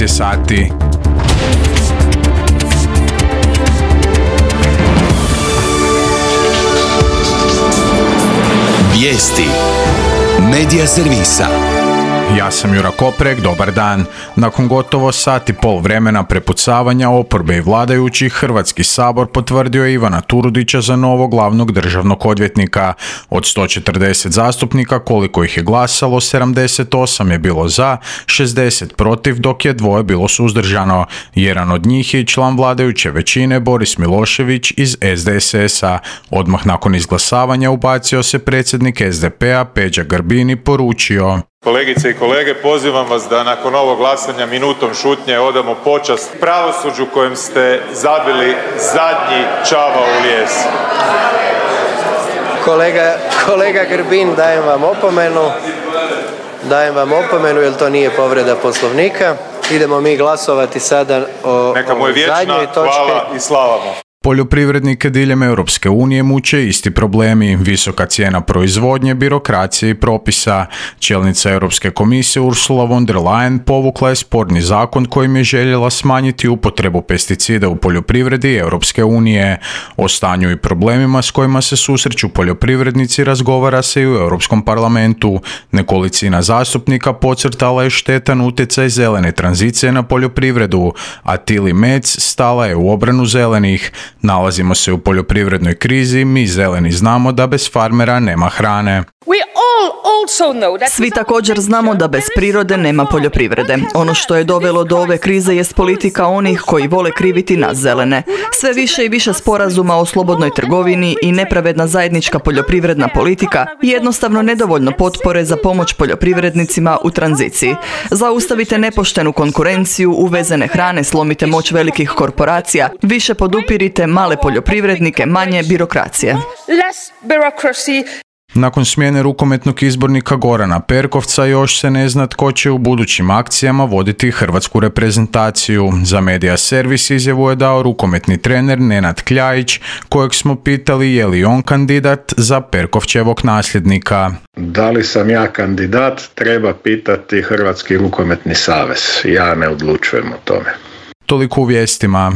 je sati. Vijesti Medija servisa. Ja sam Jura Koprek, dobar dan. Nakon gotovo sat i pol vremena prepucavanja oporbe i vladajućih, Hrvatski sabor potvrdio je Ivana Turudića za novog glavnog državnog odvjetnika. Od 140 zastupnika, koliko ih je glasalo, 78 je bilo za, 60 protiv, dok je 2 bilo suzdržano. Jedan od njih je i član vladajuće većine, Boris Milošević iz SDSS-a. Odmah nakon izglasavanja ubacio se predsjednik SDP-a Peđa Grbin i poručio: Kolegice i kolege, pozivam vas da nakon ovog glasanja minutom šutnje odamo počast pravosuđu kojem ste zabili zadnji čavao u lijes. Kolega Grbin, dajem vam opomenu jer to nije povreda Poslovnika. Idemo mi glasovati sada o Neka mu je vječna zadnjoj točki. hvala i slava mu. Poljoprivrednike diljem Europske unije muče isti problemi, visoka cijena proizvodnje, birokracije i propisa. Čelnica Europske komisije Ursula von der Leyen povukla je sporni zakon kojim je željela smanjiti upotrebu pesticida u poljoprivredi Europske unije. O stanju i problemima s kojima se susreću poljoprivrednici razgovara se i u Europskom parlamentu. Nekolicina zastupnika podcrtala je štetan utjecaj zelene tranzicije na poljoprivredu, a Tilly Metz stala je u obranu zelenih. Nalazimo se u poljoprivrednoj krizi, mi zeleni znamo da bez farmera nema hrane. Svi također znamo da bez prirode nema poljoprivrede. Ono što je dovelo do ove krize jest politika onih koji vole kriviti nas zelene. Sve više i više sporazuma o slobodnoj trgovini i nepravedna zajednička poljoprivredna politika i jednostavno nedovoljno potpore za pomoć poljoprivrednicima u tranziciji. Zaustavite nepoštenu konkurenciju, uvezene hrane, slomite moć velikih korporacija, više podupirite male poljoprivrednike, manje birokracije. Nakon smjene rukometnog izbornika Gorana Perkovca još se ne zna tko će u budućim akcijama voditi hrvatsku reprezentaciju. Za Medija servis izjavu je dao rukometni trener Nenad Kljajić, kojeg smo pitali je li on kandidat za Perkovčevog nasljednika. Da li sam ja kandidat, treba pitati Hrvatski rukometni savez. Ja ne odlučujem o tome. Toliko u vijestima.